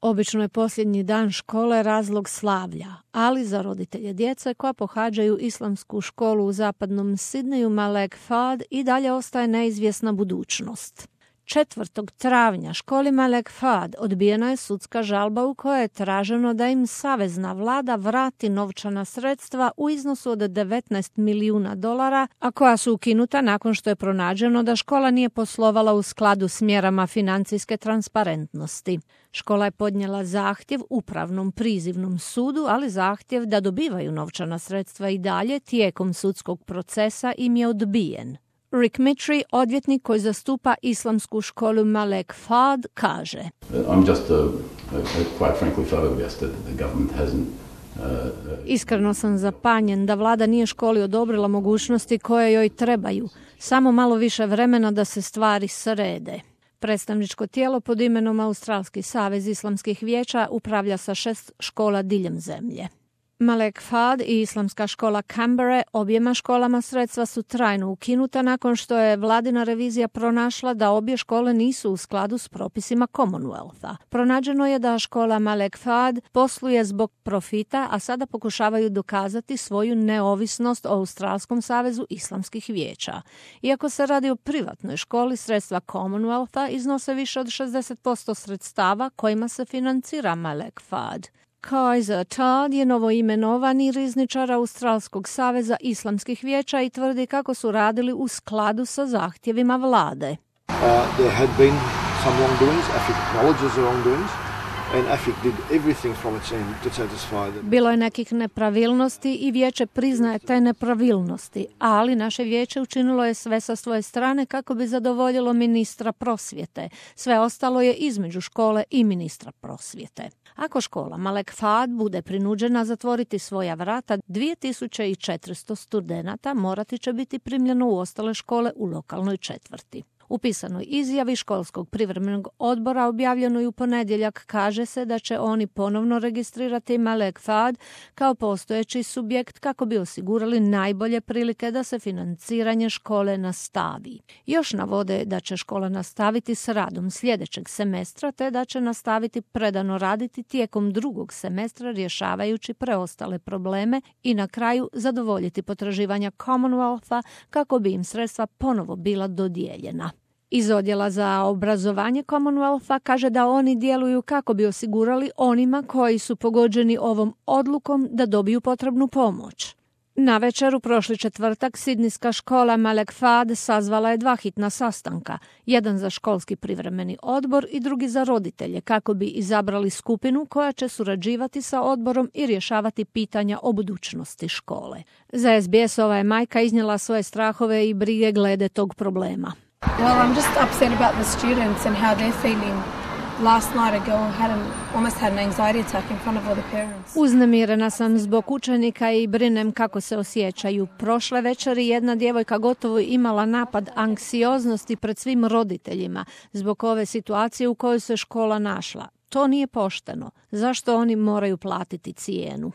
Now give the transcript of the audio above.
Obično je posljednji dan škole razlog slavlja, ali za roditelje djece koja pohađaju islamsku školu u zapadnom Sidneju Malek Fahd i dalje ostaje neizvjesna budućnost. 4. travnja školi Malek Fahd odbijena je sudska žalba u kojoj je traženo da im savezna vlada vrati novčana sredstva u iznosu od $19 milijuna, a koja su ukinuta nakon što je pronađeno da škola nije poslovala u skladu s mjerama financijske transparentnosti. Škola je podnijela zahtjev upravnom prizivnom sudu, ali zahtjev da dobivaju novčana sredstva i dalje tijekom sudskog procesa im je odbijen. Rick Mitri, odvjetnik koji zastupa islamsku školu Malek Fahd, kaže: I'm just quite frankly flabbergasted that the government hasn't. Iskreno sam zapanjen da vlada nije školi odobrila mogućnosti koje joj trebaju, samo malo više vremena da se stvari srede. Predstavničko tijelo pod imenom Australski savez islamskih vijeća upravlja sa 6 škola diljem zemlje. Malek Fahd i islamska škola Canberra, objema školama sredstva su trajno ukinuta nakon što je vladina revizija pronašla da obje škole nisu u skladu s propisima Commonwealtha. Pronađeno je da škola Malek Fahd posluje zbog profita, a sada pokušavaju dokazati svoju neovisnost o Australskom savezu islamskih vijeća. Iako se radi o privatnoj školi, sredstva Commonwealtha iznose više od 60% sredstava kojima se financira Malek Fahd. Kaiser Todd je novoimenovani rizničar Australskog saveza islamskih vijeća i tvrdi kako su radili u skladu sa zahtjevima vlade. There had been some wrongdoings. AFIC acknowledges the wrongdoings. And AFIC did everything from its end to satisfy them. Bilo je nekih nepravilnosti i vijeće priznaje te nepravilnosti, ali naše vijeće učinilo je sve sa svoje strane kako bi zadovoljilo ministra prosvjete. Sve ostalo je između škole i ministra prosvjete. Ako škola Malek Fahd bude prinuđena zatvoriti svoja vrata, 2400 studenata morati će biti primljeno u ostale škole u lokalnoj četvrti. U pisanoj izjavi školskog privremenog odbora objavljenoj u ponedjeljak kaže se da će oni ponovno registrirati Malek Fahd kao postojeći subjekt kako bi osigurali najbolje prilike da se financiranje škole nastavi. Još navode da će škola nastaviti s radom sljedećeg semestra te da će nastaviti predano raditi tijekom drugog semestra rješavajući preostale probleme i na kraju zadovoljiti potraživanja Commonwealtha kako bi im sredstva ponovo bila dodijeljena. Iz odjela za obrazovanje Commonwealtha kaže da oni djeluju kako bi osigurali onima koji su pogođeni ovom odlukom da dobiju potrebnu pomoć. Navečer u prošli četvrtak sidnijska škola Malek Fahd sazvala je 2 hitna sastanka, jedan za školski privremeni odbor i drugi za roditelje, kako bi izabrali skupinu koja će surađivati sa odborom i rješavati pitanja o budućnosti škole. Za SBS-ova je majka iznijela svoje strahove i brige glede tog problema. Well, I'm just upset about the students and how they're feeling. Last night a girl almost had an anxiety attack in front of all the parents. Uznemirena sam zbog učenika i brinem kako se osjećaju. Prošle večeri jedna djevojka gotovo imala napad anksioznosti pred svim roditeljima zbog ove situacije u kojoj se škola našla. To nije pošteno. Zašto oni moraju platiti cijenu?